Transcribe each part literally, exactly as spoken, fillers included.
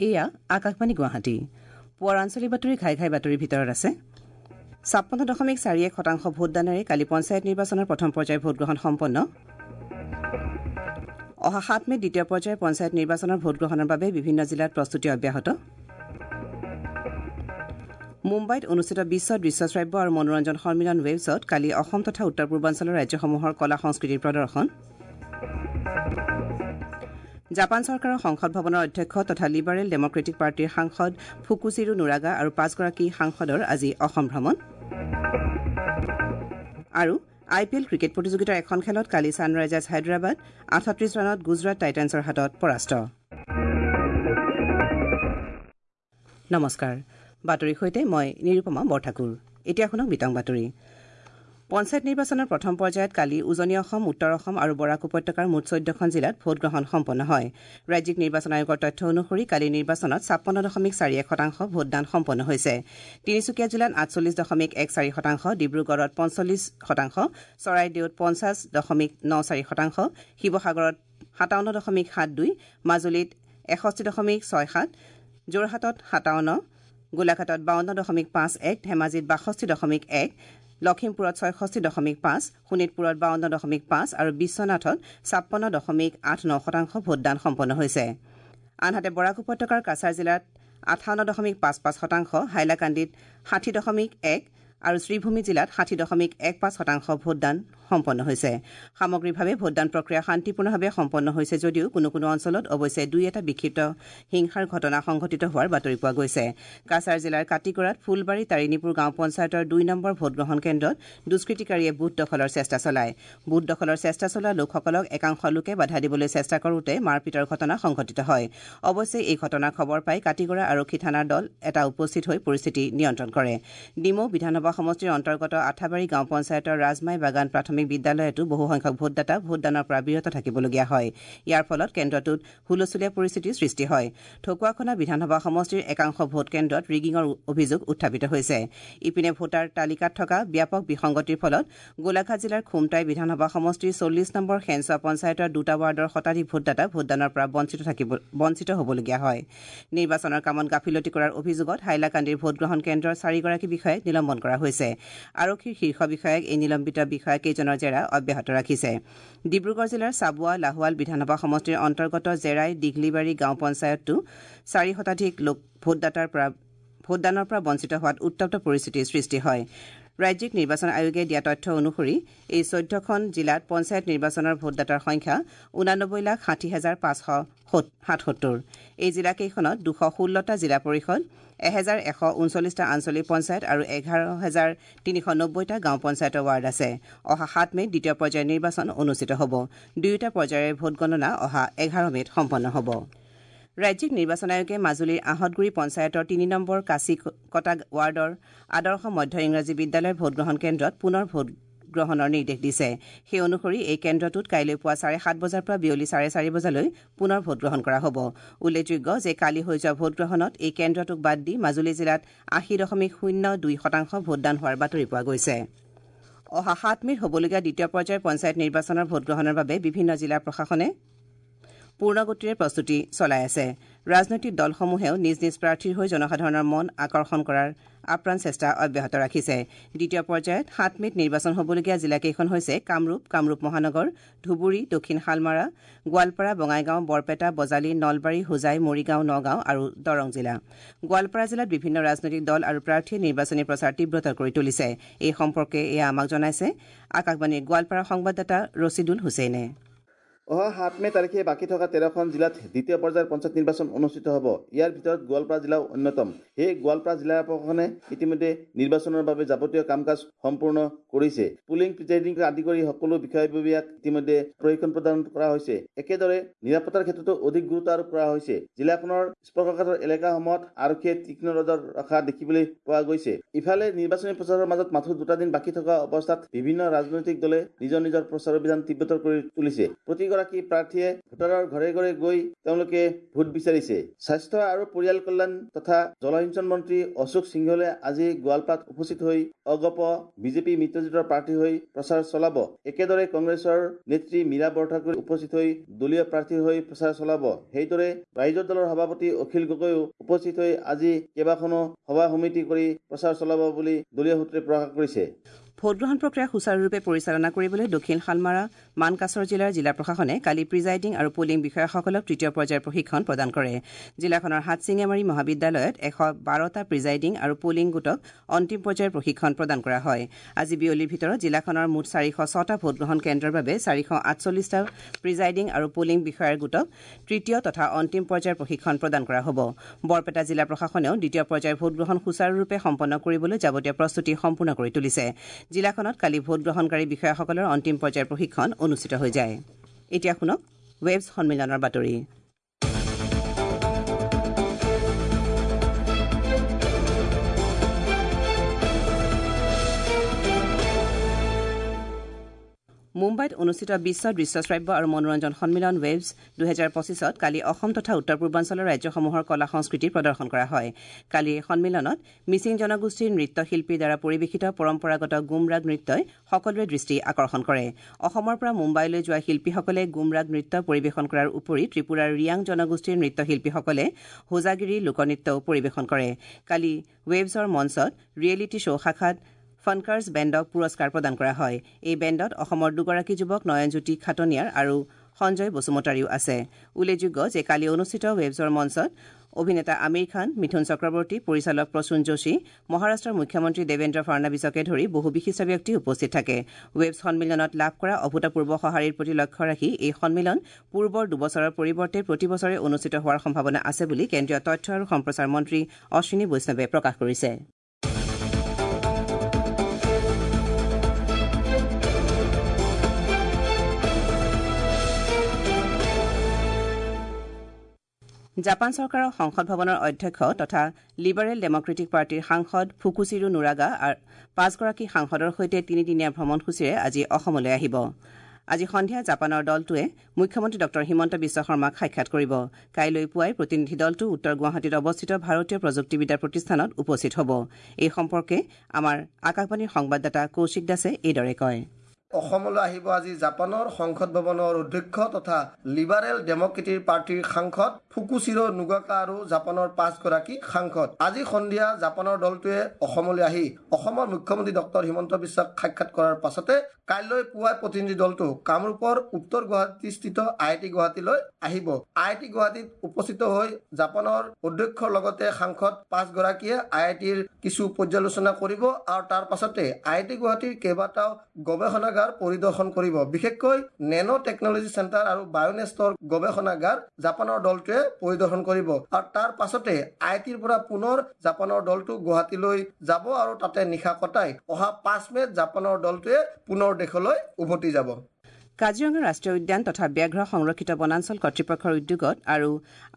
এয়া আকাশবাণী গুৱাহাটী। পুৱাৰ আঞ্চলিক বাতৰি ঘাই ঘাই বাতৰিৰ ভিতৰত আছে ছাপন্ন দশমিক চাৰি এক শতাংশ ভোটদানেৰে কালি পঞ্চায়ত নিৰ্বাচনৰ প্ৰথম পৰ্যায়ৰ ভোটগ্ৰহণ সম্পন্ন। অহা সাত মে'ত দ্বিতীয় পৰ্যায়ৰ পঞ্চায়ত নিৰ্বাচনৰ ভোটগ্ৰহণৰ বাবে বিভিন্ন জিলাত প্ৰস্তুতি অব্যাহত। মুম্বাইত অনুষ্ঠিত বিশ্ব দৃশ্য শ্ৰাব্য আৰু মনোৰঞ্জন সন্মিলন ৱেভছত কালি অসম তথা উত্তৰ পূৰ্বাঞ্চলৰ ৰাজ্যসমূহৰ কলা সংস্কৃতিৰ প্ৰদৰ্শন। জাপান চৰকাৰৰ সংসদ ভৱনৰ অধ্যক্ষ তথা লিবাৰেল ডেমক্ৰেটিক পাৰ্টীৰ সাংসদ ফুকুচিৰো নুৰাগা আৰু পাঁচগৰাকী সাংসদৰ আজি অসম ভ্ৰমণ। আৰু আই পি এল ক্ৰিকেট প্ৰতিযোগিতাৰ এখন খেলত কালি ছানৰাইজাৰ্ছ হায়দৰাবাদ আঠত্ৰিশ ৰানত গুজৰাট টাইটানছৰ হাতত পৰাস্ত। নমস্কাৰ, বাতৰিৰ সৈতে মই নিৰুপমা বৰঠাকুৰ। এতিয়া শুনক বিতং বাতৰি। পঞ্চায়ত নিৰ্বাচনৰ প্ৰথম পৰ্যায়ত কালি উজনি অসম, উত্তৰ অসম আৰু বৰাক উপত্যকাৰ মুঠ চৈধ্যখন জিলাত ভোটগ্ৰহণ সম্পন্ন হয়। ৰাজ্যিক নিৰ্বাচন আয়োগৰ তথ্য অনুসৰি কালি নিৰ্বাচনত ছাপন্ন দশমিক চাৰি এক শতাংশ ভোটদান সম্পন্ন হৈছে। তিনিচুকীয়া জিলাত আঠচল্লিছ দশমিক এক চাৰি শতাংশ, ডিব্ৰুগড়ত পঞ্চল্লিছ শতাংশ, চৰাইদেউত পঞ্চাছ দশমিক ন চাৰি শতাংশ, শিৱসাগৰত সাতাৱন্ন দশমিক সাত দুই, মাজুলীত এষষ্ঠি দশমিক ছয় সাত, যোৰহাটত সাতাৱন্ন, গোলাঘাটত বাৱন্ন দশমিক পাঁচ এক, ধেমাজিত বাষষ্ঠি দশমিক এক, লখিমপুৰত ছয়ষষ্ঠি দশমিক পাঁচ, শোণিতপুৰত বাৱন্ন দশমিক পাঁচ আৰু বিশ্বনাথত ছাপন্ন দশমিক আঠ ন শতাংশ ভোটদান সম্পন্ন হৈছে। আনহাতে বৰাক উপত্যকাৰ কাছাৰ জিলাত আঠাৱন্ন দশমিক পাঁচ পাঁচ শতাংশ, হাইলাকান্দিত ষাঠি দশমিক এক আৰু শ্ৰীভূমি জিলাত ষাঠি দশমিক এক পাঁচ শতাংশ ভোটদান সম্পন্ন হৈছে। সামগ্ৰিকভাৱে ভোটদান প্ৰক্ৰিয়া শান্তিপূৰ্ণভাৱে সম্পন্ন হৈছে যদিও কোনো কোনো অঞ্চলত অৱশ্যে দুই এটা বিক্ষিপ্ত হিংসাৰ ঘটনা সংঘটিত হোৱাৰ বাতৰি পোৱা গৈছে। কাছাৰ জিলাৰ কাটিগড়াত ফুলবাৰী তাৰিণীপুৰ গাঁও পঞ্চায়তৰ দুই নম্বৰ ভোটগ্ৰহণ কেন্দ্ৰত দুষ্কৃতিকাৰীয়ে বুথ দখলৰ চেষ্টা চলায়। বুথ দখলৰ চেষ্টা চলোৱা লোকসকলক একাংশ লোকে বাধা দিবলৈ চেষ্টা কৰোঁতে মাৰপিটৰ ঘটনা সংঘটিত হয়। অৱশ্যে এই ঘটনাৰ খবৰ পাই কাটিগড়া আৰক্ষী থানাৰ দল এটা উপস্থিত হৈ পৰিস্থিতি নিয়ন্ত্ৰণ কৰে। ডিমৌ বিধানসভা সমষ্টিৰ অন্তৰ্গত আঠাবাৰী গাঁও পঞ্চায়তৰ ৰাজমাই বাগান প্ৰাথমিক বিদ্যালয়তো বহুসংখ্যক ভোটদাতা ভোটদানৰ পৰা বিৰত থাকিবলগীয়া হয়। ইয়াৰ ফলত কেন্দ্ৰটোত হুলস্থুলীয়া পৰিস্থিতিৰ সৃষ্টি হয়। ঢকুৱাখনা বিধানসভা সমষ্টিৰ একাংশ ভোট কেন্দ্ৰত ৰিগিঙৰ অভিযোগ উত্থাপিত হৈছে। ইপিনে ভোটাৰ তালিকাত থকা ব্যাপক বিসংগতিৰ ফলত গোলাঘাট জিলাৰ খুমটাই বিধানসভা সমষ্টিৰ চল্লিছ নম্বৰ শেনচোৱা পঞ্চায়তৰ দুটা ৱাৰ্ডৰ শতাধিক ভোটদাতা ভোটদানৰ পৰা বঞ্চিত থাকিব বঞ্চিত হ'বলগীয়া হয়। নিৰ্বাচনৰ কামত গাফিলতি কৰাৰ অভিযোগত হাইলাকান্দিৰ ভোটগ্ৰহণ কেন্দ্ৰৰ চাৰিগৰাকী বিষয়াক নিলম্বন কৰা হৈছে। আৰক্ষীৰ শীৰ্ষ বিষয়াক এই নিলম্বিত বিষয়াকেইজনৰ জেৰা অব্যাহত ৰাখিছে। ডিব্ৰুগড় জিলাৰ চাবুৱা লাহোৱাল বিধানসভা সমষ্টিৰ অন্তৰ্গত জেৰাই দীঘলিবাৰী গাঁও পঞ্চায়ততো চাৰি শতাধিক লোক ভোটদাতাৰ পৰা ভোটদানৰ পৰা বঞ্চিত হোৱাত উত্তপ্ত পৰিস্থিতিৰ সৃষ্টি হয়। ৰাজ্যিক নিৰ্বাচন আয়োগে দিয়া তথ্য অনুসৰি এই চৈধ্যখন জিলাত পঞ্চায়ত নিৰ্বাচনৰ ভোটদাতাৰ সংখ্যা ঊনানব্বৈ লাখ ষাঠি হাজাৰ পাঁচশ সাতসত্তৰ। এই জিলাকেইখনত দুশ ষোল্লটা জিলা পৰিষদ, এহেজাৰ এশ ঊনচল্লিছটা আঞ্চলিক পঞ্চায়ত আৰু এঘাৰ হাজাৰ তিনিশ নব্বৈটা গাঁও পঞ্চায়তৰ ৱাৰ্ড আছে। অহা সাত মে'ত দ্বিতীয় পৰ্যায়ৰ নিৰ্বাচন অনুষ্ঠিত হ'ব। দুয়োটা পৰ্যায়ৰ ভোটগণনা অহা এঘাৰ মে'ত সম্পন্ন হ'ব। ৰাজ্যিক নিৰ্বাচন আয়োগে মাজুলীৰ আহঁতগুৰি পঞ্চায়তৰ তিনি নম্বৰ কাচিকটা ৱাৰ্ডৰ আদৰ্শ মধ্য ইংৰাজী বিদ্যালয়ৰ ভোটগ্ৰহণ কেন্দ্ৰত পুনৰ ভোটগ্ৰহণৰ নিৰ্দেশ দিছে। সেই অনুসৰি এই কেন্দ্ৰটোত কাইলৈ পুৱা চাৰে সাত বজাৰ পৰা বিয়লি চাৰে চাৰি বজালৈ পুনৰ ভোটগ্ৰহণ কৰা হ'ব। উল্লেখযোগ্য যে কালি হৈ যোৱা ভোটগ্ৰহণত এই কেন্দ্ৰটোক বাদ দি মাজুলী জিলাত আশী দশমিক শূন্য দুই শতাংশ ভোটদান হোৱাৰ বাতৰি পোৱা গৈছে। অহা সাত মে'ত হ'বলগীয়া দ্বিতীয় পৰ্যায়ৰ পঞ্চায়ত নিৰ্বাচনৰ ভোটগ্ৰহণৰ বাবে বিভিন্ন জিলা প্ৰশাসনে পূৰ্ণগতিৰে প্ৰস্তুতি চলাই আছে। ৰাজনৈতিক দলসমূহেও নিজ নিজ প্ৰাৰ্থীৰ হৈ জনসাধাৰণৰ মন আকৰ্ষণ কৰাৰ আপ্ৰাণ চেষ্টা অব্যাহত ৰাখিছে। দ্বিতীয় পৰ্যায়ত সাত মে'ত নিৰ্বাচন হ'বলগীয়া জিলাকেইখন হৈছে কামৰূপ, কামৰূপ মহানগৰ, ধুবুৰী, দক্ষিণ শালমাৰা, গোৱালপাৰা, বঙাইগাঁও, বৰপেটা, বজালী, নলবাৰী, হোজাই, মৰিগাঁও, নগাঁও আৰু দৰং জিলা। গোৱালপাৰা জিলাত বিভিন্ন ৰাজনৈতিক দল আৰু প্ৰাৰ্থীয়ে নিৰ্বাচনী প্ৰচাৰ তীব্ৰতৰ কৰি তুলিছে। এই সম্পৰ্কে এয়া আমাক জনাইছে আকাশবাণীৰ গোৱালপাৰা সংবাদদাতা ৰছিদুল হুছেইনে। অহা সাত মে তাৰিখে বাকী থকা তেৰখন জিলাত দ্বিতীয় পৰ্যায়ৰ পঞ্চায়ত নিৰ্বাচন অনুষ্ঠিত হ'ব। ইয়াৰ ভিতৰত গোৱালপাৰা জিলাও অন্যতম। সেয়ে গোৱালপাৰা জিলা প্ৰশাসনে ইতিমধ্যে নিৰ্বাচনৰ বাবে যাৱতীয় কাম কাজ সম্পূৰ্ণ কৰিছে। পুলিং, প্ৰিজাইডিং আদি কৰি সকলো বিষয়ববীয়াক ইতিমধ্যে প্ৰশিক্ষণ প্ৰদান কৰা হৈছে। একেদৰে নিৰাপত্তাৰ ক্ষেত্ৰতো অধিক গুৰুত্ব আৰোপ কৰা হৈছে। জিলাখনৰ স্পৰ্শকাতৰ এলেকাসমূহত আৰক্ষীয়ে তীক্ষ্ণ নজৰ ৰখা দেখিবলৈ পোৱা গৈছে। ইফালে নিৰ্বাচনী প্ৰচাৰৰ মাজত মাথো দুটা দিন বাকী থকা অৱস্থাত বিভিন্ন ৰাজনৈতিক দলে নিজৰ নিজৰ প্ৰচাৰ অভিযান তীব্ৰতৰ কৰি তুলিছে। প্ৰতি প্ৰতিগৰাকী প্ৰাৰ্থীয়ে ভোটাৰৰ ঘৰে ঘৰে গৈ তেওঁলোকে ভোট বিচাৰিছে। স্বাস্থ্য আৰু পৰিয়াল কল্যাণ তথা জলসিঞ্চন মন্ত্ৰী অশোক সিংহলে আজি গোৱালপাৰাত উপস্থিত হৈ অগপ বিজেপি মিত্ৰজোঁটৰ প্ৰাৰ্থী হৈ প্ৰচাৰ চলাব। একেদৰে কংগ্ৰেছৰ নেত্ৰী মীৰা বৰঠাকুৰ উপস্থিত হৈ দলীয় প্ৰাৰ্থী হৈ প্ৰচাৰ চলাব। সেইদৰে ৰাইজৰ দলৰ সভাপতি অখিল গগৈও উপস্থিত হৈ আজি কেইবাখনো সভা সমিতি কৰি প্ৰচাৰ চলাব বুলি দলীয় সূত্ৰে প্ৰকাশ কৰিছে। ভোটগ্ৰহণ প্ৰক্ৰিয়া সুচাৰুৰূপে পৰিচালনা কৰিবলৈ দক্ষিণ শালমাৰা মানকাছৰ জিলাৰ জিলা প্ৰশাসনে কালি প্ৰিজাইডিং আৰু পুলিং বিষয়াসকলক তৃতীয় পৰ্যায়ৰ প্ৰশিক্ষণ প্ৰদান কৰে। জিলাখনৰ হাটশিঙিমাৰী মহাবিদ্যালয়ত এশ বাৰটা প্ৰিজাইডিং আৰু পুলিং গোটক অন্তিম পৰ্যায়ৰ প্ৰশিক্ষণ প্ৰদান কৰা হয়। আজি বিয়লিৰ ভিতৰত জিলাখনৰ মুঠ চাৰিশ ছটা ভোটগ্ৰহণ কেন্দ্ৰৰ বাবে চাৰিশ আঠচল্লিছটা প্ৰিজাইডিং আৰু পুলিং বিষয়াৰ গোটক তৃতীয় তথা অন্তিম পৰ্যায়ৰ প্ৰশিক্ষণ প্ৰদান কৰা হ'ব। বৰপেটা জিলা প্ৰশাসনেও দ্বিতীয় পৰ্যায়ৰ ভোটগ্ৰহণ সুচাৰুৰূপে সম্পন্ন কৰিবলৈ যাৱতীয় প্ৰস্তুতি সম্পূৰ্ণ কৰি তুলিছে। জিলাখনত কালি ভোটগ্ৰহণকাৰী বিষয়াসকলৰ অন্তিম পৰ্যায়ৰ প্ৰশিক্ষণ অনুষ্ঠিত হৈ যায়। এতিয়া শুনক ৱেবছ সন্মিলনৰ বাতৰি। মুম্বাইত অনুষ্ঠিত বিশ্ব দৃশ্যশ্ৰাব্য আৰু মনোৰঞ্জন সন্মিলন ৱেভছ দুহেজাৰ পঁচিছত কালি অসম তথা উত্তৰ পূৰ্বাঞ্চলৰ ৰাজ্যসমূহৰ কলা সংস্কৃতি প্ৰদৰ্শন কৰা হয়। কালিৰ সন্মিলনত মিচিং জনগোষ্ঠীৰ নৃত্যশিল্পীৰ দ্বাৰা পৰিৱেশিত পৰম্পৰাগত গুমৰাগ নৃত্যই সকলোৰে দৃষ্টি আকৰ্ষণ কৰে। অসমৰ পৰা মুম্বাইলৈ যোৱা শিল্পীসকলে গুমৰাগ নৃত্য পৰিৱেশন কৰাৰ উপৰি ত্ৰিপুৰাৰ ৰিয়াং জনগোষ্ঠীৰ নৃত্যশিল্পীসকলে হোজাগিৰি লোকনৃত্যও পৰিৱেশন কৰে। কালি ৱেভছৰ মঞ্চত ৰিয়েলিটি শ্ব' শাখাত ফানকাৰ্ছ বেণ্ডক পুৰস্কাৰ প্ৰদান কৰা হয়। এই বেণ্ডত অসমৰ দুগৰাকী যুৱক নয়নজ্যোতি খাটনিয়াৰ আৰু সঞ্জয় বসুমতাৰীও আছে। উল্লেখযোগ্য যে কালি অনুষ্ঠিত ৱেভছৰ মঞ্চত অভিনেতা আমিৰ খান, মিথুন চক্ৰৱৰ্তী, পৰিচালক প্ৰসূন যোশী, মহাৰাষ্ট্ৰৰ মুখ্যমন্ত্ৰী দেৱেন্দ্ৰ ফাড়নাবিছকে ধৰি বহু বিশিষ্ট ব্যক্তি উপস্থিত থাকে। ৱেভছ সন্মিলনত লাভ কৰা অভূতপূৰ্ব সঁহাৰিৰ প্ৰতি লক্ষ্য ৰাখি এই সন্মিলন পূৰ্বৰ দুবছৰৰ পৰিৱৰ্তে প্ৰতি বছৰে অনুষ্ঠিত হোৱাৰ সম্ভাৱনা আছে বুলি কেন্দ্ৰীয় তথ্য আৰু সম্প্ৰচাৰ মন্ত্ৰী অশ্বিনী বৈষ্ণৱে প্ৰকাশ কৰিছে। জাপান চৰকাৰৰ সংসদ ভৱনৰ অধ্যক্ষ তথা লিবাৰেল ডেমক্ৰেটিক পাৰ্টীৰ সাংসদ ফুকুচিৰো নুৰাগা পাঁচগৰাকী সাংসদৰ সৈতে তিনিদিনীয়া ভ্ৰমণসূচীৰে আজি অসমলৈ আহিব। আজি সন্ধিয়া জাপানৰ দলটোৱে মুখ্যমন্ত্ৰী ডঃ হিমন্ত বিশ্ব শৰ্মাক সাক্ষাৎ কৰিব। কাইলৈ পুৱাই প্ৰতিনিধি দলটো উত্তৰ গুৱাহাটীত অৱস্থিত ভাৰতীয় প্ৰযুক্তিবিদ্যা প্ৰতিষ্ঠানত উপস্থিত হ'ব। এই সম্পৰ্কে আমাৰ আকাশবাণীৰ সংবাদদাতা কৌশিক দাসে এইদৰে কয়। অসমলৈ আহিব আজি জাপানৰ সংসদ ভৱনৰ অধ্যক্ষ তথা লিবাৰেল ডেমক্ৰেটিক পাৰ্টীৰ সাংসদ ফুকুচিৰো নুগাকা আৰু জাপানৰ পাঁচগৰাকী সাংসদ। আজি সন্ধিয়া জাপানৰ দলটোৱে অসমলৈ আহি অসমৰ মুখ্যমন্ত্ৰী ডক্টৰ হিমন্ত বিশ্বক সাক্ষাৎ কৰাৰ পাছতে কাইলৈ পুৱাই প্ৰতিনিধি দলটো কামৰূপৰ উত্তৰ গুৱাহাটীস্থিত আই I T গুৱাহাটীলৈ আহিব। আই I T গুৱাহাটীত উপস্থিত হৈ জাপানৰ অধ্যক্ষৰ লগতে সাংসদ পাঁচগৰাকীয়ে আই আই টিৰ কিছু পৰ্যালোচনা কৰিব আৰু তাৰ পাছতে আই I T গুৱাহাটীৰ কেইবাটাও গৱেষণাগাৰ পৰিদৰ্শন কৰিব। বিশেষকৈ নেনো টেকনলজি চেণ্টাৰ আৰু বায়'নেষ্টৰ গৱেষণাগাৰ জাপানৰ দলটোৱে পৰিদৰ্শন কৰিব আৰু তাৰ পাছতে আই আই টিৰ পৰা পুনৰ জাপানৰ দলটো গুৱাহাটীলৈ যাব আৰু তাতে নিশা কটাই অহা পাঁচ মে'ত জাপানৰ দলটোৱে পুনৰ দেশলৈ উভতি যাব। কাজিৰঙা ৰাষ্ট্ৰীয় উদ্যান তথা ব্যাঘ্ৰ সংৰক্ষিত বনাঞ্চল কৰ্তৃপক্ষৰ উদ্যোগত আৰু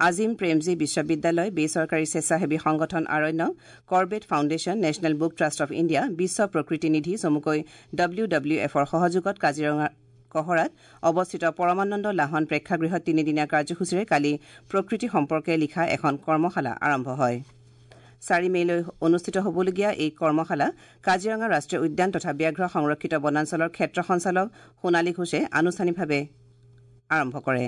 আজিম প্ৰেমজী বিশ্ববিদ্যালয়, বেচৰকাৰী স্বেচ্ছাসেৱী সংগঠন Aaranyak, Corbett foundation, national book trust of India, বিশ্ব প্ৰকৃতি নিধি চমুকৈ ডব্লিউ ডব্লিউ এফৰ সহযোগত কাজিৰঙা কহৰাত অৱস্থিত পৰমানন্দ লাহন প্ৰেক্ষাগৃহত তিনিদিনীয়া কাৰ্যসূচীৰে কালি প্ৰকৃতি সম্পৰ্কে লিখা এখন কৰ্মশালা আৰম্ভ হয়। চাৰি মে'লৈ অনুষ্ঠিত হ'বলগীয়া এই কৰ্মশালা কাজিৰঙা ৰাষ্ট্ৰীয় উদ্যান তথা ব্যাঘ্ৰ সংৰক্ষিত বনাঞ্চলৰ ক্ষেত্ৰ সঞ্চালক সোণালী ঘোষে আনুষ্ঠানিকভাৱে আৰম্ভ কৰে।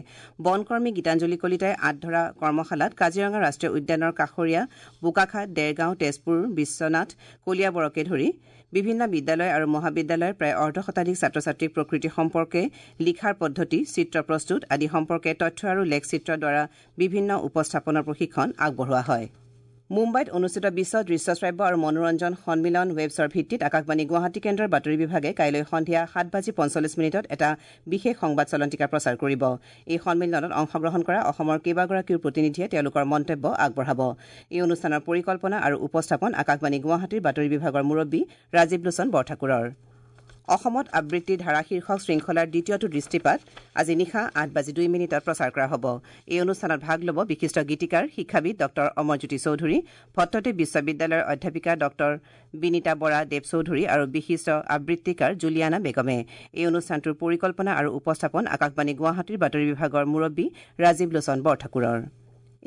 বনকৰ্মী গীতাঞ্জলি কলিতাই আঁত ধৰা কৰ্মশালাত কাজিৰঙা ৰাষ্ট্ৰীয় উদ্যানৰ কাষৰীয়া বোকাখাত, দেৰগাঁও, তেজপুৰ, বিশ্বনাথ, কলিয়াবৰকে ধৰি বিভিন্ন বিদ্যালয় আৰু মহাবিদ্যালয়ৰ প্ৰায় অৰ্ধ শতাধিক ছাত্ৰ ছাত্ৰীক প্ৰকৃতি সম্পৰ্কে লিখাৰ পদ্ধতি, চিত্ৰ প্ৰস্তুত আদি সম্পৰ্কে তথ্য আৰু লেখচিত্ৰৰ দ্বাৰা বিভিন্ন উপস্থাপনৰ প্ৰশিক্ষণ আগবঢ়োৱা হয়। মুম্বাইত অনুষ্ঠিত বিশ্ব দৃশ্যশ্ৰাব্য আৰু মনোৰঞ্জন সন্মিলন ৱেবছৰ ভিত্তিত আকাশবাণী গুৱাহাটী কেন্দ্ৰৰ বাতৰি বিভাগে কাইলৈ সন্ধিয়া সাত বাজি পঞ্চল্লিছ মিনিটত এটা বিশেষ সংবাদ চলন্তিকা প্ৰচাৰ কৰিব। এই সন্মিলনত অংশগ্ৰহণ কৰা অসমৰ কেইবাগৰাকীও প্ৰতিনিধিয়ে তেওঁলোকৰ মন্তব্য আগবঢ়াব। এই অনুষ্ঠানৰ পৰিকল্পনা আৰু উপস্থাপন আকাশবাণী গুৱাহাটীৰ বাতৰি বিভাগৰ মুৰব্বী ৰাজীৱ লোচন বৰঠাকুৰৰ। অসমত আবৃত্তিৰ ধাৰা শীৰ্ষক শৃংখলাৰ দ্বিতীয়টো দৃষ্টিপাত আজি নিশা আঠ বাজি দুই মিনিটত প্ৰচাৰ কৰা হ'ব। এই অনুষ্ঠানত ভাগ ল'ব বিশিষ্ট গীতিকাৰ শিক্ষাবিদ ডক্টৰ অমৰজ্যোতি চৌধুৰী, ভট্টদেৱ বিশ্ববিদ্যালয়ৰ অধ্যাপিকা ডক্টৰ বিনীতা বৰা দেৱ চৌধুৰী আৰু বিশিষ্ট আবৃত্তিকাৰ জুলিয়ানা বেগমে। এই অনুষ্ঠানটোৰ পৰিকল্পনা আৰু উপস্থাপন আকাশবাণী গুৱাহাটীৰ বাতৰি বিভাগৰ মুৰব্বী ৰাজীৱ লোচন বৰঠাকুৰৰ।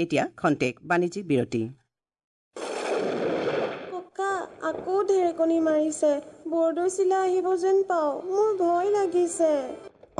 এতিয়া খন্তেক বাণিজ্যিক বিৰতি। আকৌ ঢেৰেকনি মাৰিছে, বৰদৈচিলা আহিব যেন পাওঁ, মোৰ ভয় লাগিছে।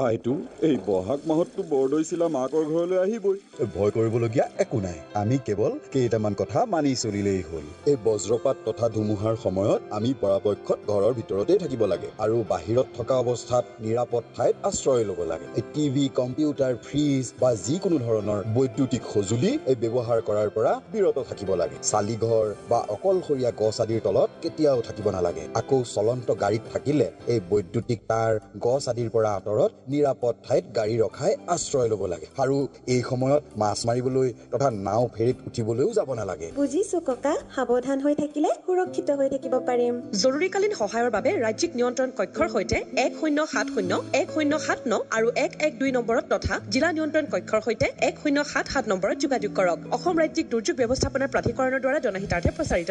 আইতো, এই বহাগ মাহততো বৰদৈচিলা মাকৰ ঘৰলৈ আহিবই। ভয় কৰিবলগীয়া একো নাই, আমি কেৱল কেইটামান কথা মানি চলিলেই হ'ল। এই বজ্ৰপাত তথা ধুমুহাৰ সময়ত আমি পৰাপক্ষত ঘৰৰ ভিতৰতেই থাকিব লাগে আৰু বাহিৰত থকা অৱস্থাত নিৰাপদ ঠাইত আশ্ৰয় ল'ব লাগে। এই টিভি, কম্পিউটাৰ, ফ্ৰিজ বা যিকোনো ধৰণৰ বৈদ্যুতিক সঁজুলি এই ব্যৱহাৰ কৰাৰ পৰা বিৰত থাকিব লাগে। চালিঘৰ বা অকলশৰীয়া গছ আদিৰ তলত কেতিয়াও থাকিব নালাগে। আকৌ চলন্ত গাড়ীত থাকিলে এই বৈদ্যুতিক তাঁৰ, গছ আদিৰ পৰা আঁতৰত নিৰাপদ ঠাইত গাড়ী ৰখাই আশ্ৰয় ল'ব লাগে। আৰু এই সময়ত মাছ মাৰিবলৈ তথা নাও ফেৰীত উঠিবলৈও যাব নালাগে। বুজিছো ককা, সাৱধান হৈ থাকিলে সুৰক্ষিত হৈ থাকিব পাৰিম। জৰুৰীকালীন সহায়ৰ বাবে ৰাজ্যিক নিয়ন্ত্ৰণ কক্ষৰ সৈতে এক শূন্য সাত শূন্য এক শূন্য সাত ন আৰু এক এক দুই নম্বৰত তথা জিলা নিয়ন্ত্ৰণ কক্ষৰ সৈতে এক শূন্য সাত সাত নম্বৰত যোগাযোগ কৰক। অসম ৰাজ্যিক দুৰ্যোগ ব্যৱস্থাপনা প্ৰাধিকৰণৰ দ্বাৰা জনহিতাৰ্থে প্ৰচাৰিত।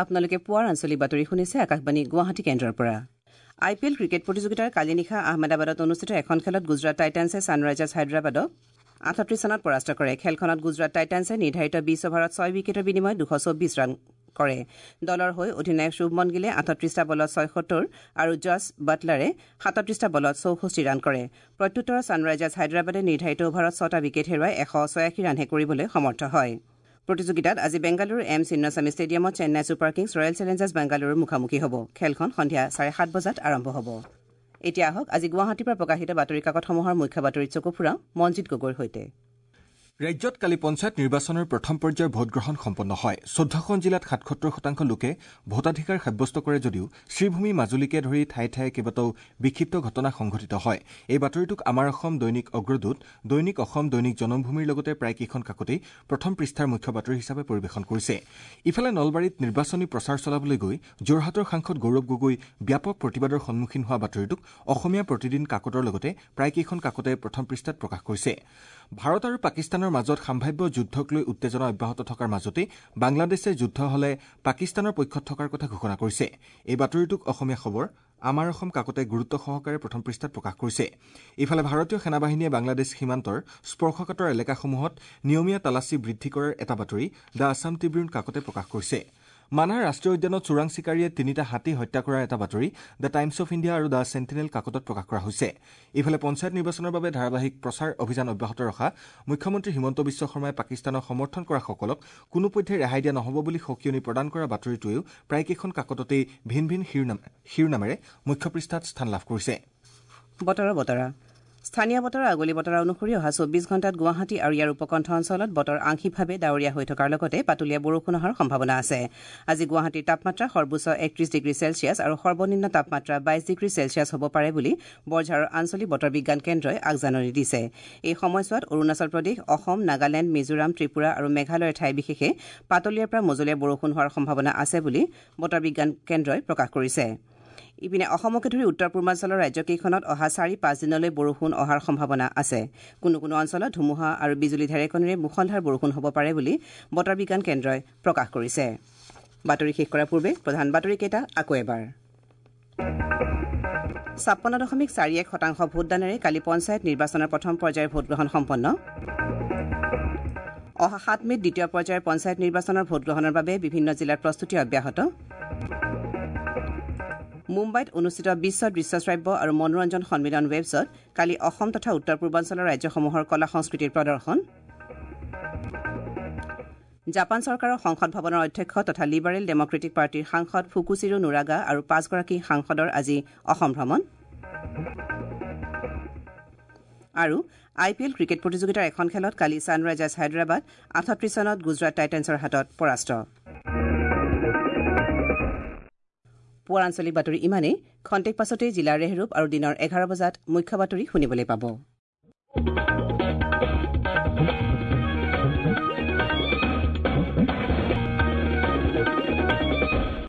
আপোনালোকে পুৱাৰ আঞ্চলিক বাতৰি শুনিছে আকাশবাণী গুৱাহাটী কেন্দ্ৰৰ পৰা। আই পি এল ক্ৰিকেট প্ৰতিযোগিতাৰ কালি নিশা আহমেদাবাদত অনুষ্ঠিত এখন খেলত গুজৰাট টাইটানছে ছানৰাইজাৰ্ছ হায়দৰাবাদক আঠত্ৰিশ ৰানত পৰাস্ত কৰে। খেলখনত গুজৰাট টাইটানছে নিৰ্ধাৰিত বিশ অভাৰত ছয় উইকেটৰ বিনিময়ত দুশ চৌব্বিছ ৰান কৰে। দলৰ হৈ অধিনায়ক শুভমন গিলে আঠত্ৰিশটা বলত ছয়সত্তৰ আৰু জছ বাটলাৰে সাতত্ৰিশটা বলত চৌষষ্ঠি ৰান কৰে। প্ৰত্যুত্তৰত ছানৰাইজাৰ্ছ হায়দৰাবাদে নিৰ্ধাৰিত অভাৰত ছটা উইকেট হেৰুৱাই এশ ছয়াশী ৰানহে কৰিবলৈ সমৰ্থ হয়। প্ৰতিযোগিতাত আজি বেংগালুৰুৰ এম চিন্নাস্বামী ষ্টেডিয়ামত Chennai super Kings royal Challengers বেংগালুৰুৰ মুখামুখি হ'ব। খেলখন সন্ধিয়া চাৰে সাত বজাত আৰম্ভ হ'ব। এতিয়া আহক আজি গুৱাহাটীৰ পৰা প্ৰকাশিত বাতৰি কাকতসমূহৰ মুখ্য বাতৰিত চকু ফুৰাওঁ মঞ্জিত গগৈৰ সৈতে। ৰাজ্যত কালি পঞ্চায়ত নিৰ্বাচনৰ প্ৰথম পৰ্যায়ৰ ভোটগ্ৰহণ সম্পন্ন হয়। চৈধ্যখন জিলাত সাতসত্তৰ শতাংশ লোকে ভোটাধিকাৰ সাব্যস্ত কৰে যদিও শ্ৰীভূমি, মাজুলীকে ধৰি ঠায়ে ঠায়ে কেইবাটাও বিক্ষিপ্ত ঘটনা সংঘটিত হয়। এই বাতৰিটোক আমাৰ অসম, দৈনিক অগ্ৰদূত, দৈনিক অসম, দৈনিক জনমভূমিৰ লগতে প্ৰায় কেইখন কাকতেই প্ৰথম পৃষ্ঠাৰ মুখ্য বাতৰি হিচাপে পৰিৱেশন কৰিছে। ইফালে নলবাৰীত নিৰ্বাচনী প্ৰচাৰ চলাবলৈ গৈ যোৰহাটৰ সাংসদ গৌৰৱ গগৈ ব্যাপক প্ৰতিবাদৰ সন্মুখীন হোৱা বাতৰিটোক অসমীয়া প্ৰতিদিন কাকতৰ লগতে প্ৰায় কেইখন কাকতে প্ৰথম পৃষ্ঠাত প্ৰকাশ কৰিছে। ভাৰত আৰু পাকিস্তানৰ মাজত সাম্ভাব্য যুদ্ধক লৈ উত্তেজনা অব্যাহত থকাৰ মাজতে বাংলাদেশে যুদ্ধ হলে পাকিস্তানৰ পক্ষত থকাৰ কথা ঘোষণা কৰিছে। এই বাতৰিটোক অসমীয়া খবৰ, আমাৰ অসম কাকতে গুৰুত্ব সহকাৰে প্ৰথম পৃষ্ঠাত প্ৰকাশ কৰিছে। ইফালে ভাৰতীয় সেনাবাহিনীয়ে বাংলাদেশ সীমান্তৰ স্পৰ্শকাতৰ এলেকাসমূহত নিয়মীয়া তালাচী বৃদ্ধি কৰাৰ এটা বাতৰি the Assam Tribune কাকতে প্ৰকাশ কৰিছে। মানাহ ৰাষ্ট্ৰীয় উদ্যানত চোৰাং চিকাৰীয়ে তিনিটা হাতী হত্যা কৰাৰ এটা বাতৰি the times of India আৰু the sentinel কাকতত প্ৰকাশ কৰা হৈছে। ইফালে পঞ্চায়ত নিৰ্বাচনৰ বাবে ধাৰাবাহিক প্ৰচাৰ অভিযান অব্যাহত ৰখা মুখ্যমন্ত্ৰী হিমন্ত বিশ্ব শৰ্মাই পাকিস্তানক সমৰ্থন কৰাসকলক কোনোপধ্যে ৰেহাই দিয়া নহ'ব বুলি সকিয়নি প্ৰদান কৰা বাতৰিটোৱেও প্ৰায়কেইখন কাকততেই ভিন ভিন শিৰোনামেৰে মুখ্য পৃষ্ঠাত স্থান লাভ কৰিছে। বতৰৰ বতৰা। স্থানীয় বতৰৰ আগলি বতৰা অনুসৰি অহা চৌব্বিছ ঘণ্টাত গুৱাহাটী আৰু ইয়াৰ উপকণ্ঠ অঞ্চলত বতৰ আংশিকভাৱে ডাৱৰীয়া হৈ থকাৰ লগতে পাতলীয়া বৰষুণ অহাৰ সম্ভাৱনা আছে। আজি গুৱাহাটীৰ তাপমাত্ৰা সৰ্বোচ্চ একত্ৰিশ ডিগ্ৰী চেলছিয়াছ আৰু সৰ্বনিম্ন তাপমাত্ৰা বাইছ ডিগ্ৰী চেলছিয়াছ হ'ব পাৰে বুলি বৰঝাৰৰ আঞ্চলিক বতৰ বিজ্ঞান কেন্দ্ৰই আগজাননী দিছে। এই সময়ছোৱাত অৰুণাচল প্ৰদেশ, অসম, নাগালেণ্ড, মিজোৰাম, ত্ৰিপুৰা আৰু মেঘালয়ৰ ঠাই বিশেষে পাতলীয়াৰ পৰা মজলীয়া বৰষুণ হোৱাৰ সম্ভাৱনা আছে বুলি বতৰ বিজ্ঞান কেন্দ্ৰই প্ৰকাশ কৰিছে। ইপিনে অসমকে ধৰি উত্তৰ পূৰ্বাঞ্চলৰ ৰাজ্যকেইখনত অহা চাৰি পাঁচ দিনলৈ বৰষুণ অহাৰ সম্ভাৱনা আছে। কোনো কোনো অঞ্চলত ধুমুহা আৰু বিজুলী ঢেৰেকনিৰে মুষলধাৰ বৰষুণ হ'ব পাৰে বুলি বতৰ বিজ্ঞান কেন্দ্ৰই প্ৰকাশ কৰিছে। বাতৰি শেষ কৰাৰ পূৰ্বে প্ৰধান বাতৰিকেইটা আকৌ এবাৰ। ছাপন্ন দশমিক চাৰি এক শতাংশ ভোটদানেৰে কালি পঞ্চায়ত নিৰ্বাচনৰ প্ৰথম পৰ্যায়ৰ ভোটগ্ৰহণ সম্পন্ন। অহা সাত মে'ত দ্বিতীয় পৰ্যায়ৰ পঞ্চায়ত নিৰ্বাচনৰ ভোটগ্ৰহণৰ বাবে বিভিন্ন জিলাত প্ৰস্তুতি অব্যাহত। মুম্বাইত অনুষ্ঠিত বিশ্ব দৃশ্যশ্ৰাব্য আৰু মনোৰঞ্জন সন্মিলন ৱেবছত কালি অসম তথা উত্তৰ পূৰ্বাঞ্চলৰ ৰাজ্যসমূহৰ কলা সংস্কৃতিৰ প্ৰদৰ্শন। জাপান চৰকাৰৰ সংসদ ভৱনৰ অধ্যক্ষ তথা লিবাৰেল ডেমক্ৰেটিক পাৰ্টীৰ সাংসদ ফুকুচিৰো নুৰাগা আৰু পাঁচগৰাকী সাংসদৰ আজি অসম ভ্ৰমণ। আৰু আই পি এল ক্ৰিকেট প্ৰতিযোগিতাৰ এখন খেলত কালি ছানৰাইজাৰ্ছ হায়দৰাবাদ আঠত্ৰিশ ৰানত গুজৰাট টাইটেন্সৰ হাতত পৰাস্ত। পুৱাৰ আঞ্চলিক বাতৰি ইমানেই। খন্তেক পাছতেই জিলাৰ ৰেহৰূপ আৰু দিনৰ এঘাৰ বজাত মুখ্য বাতৰি শুনিবলৈ পাব।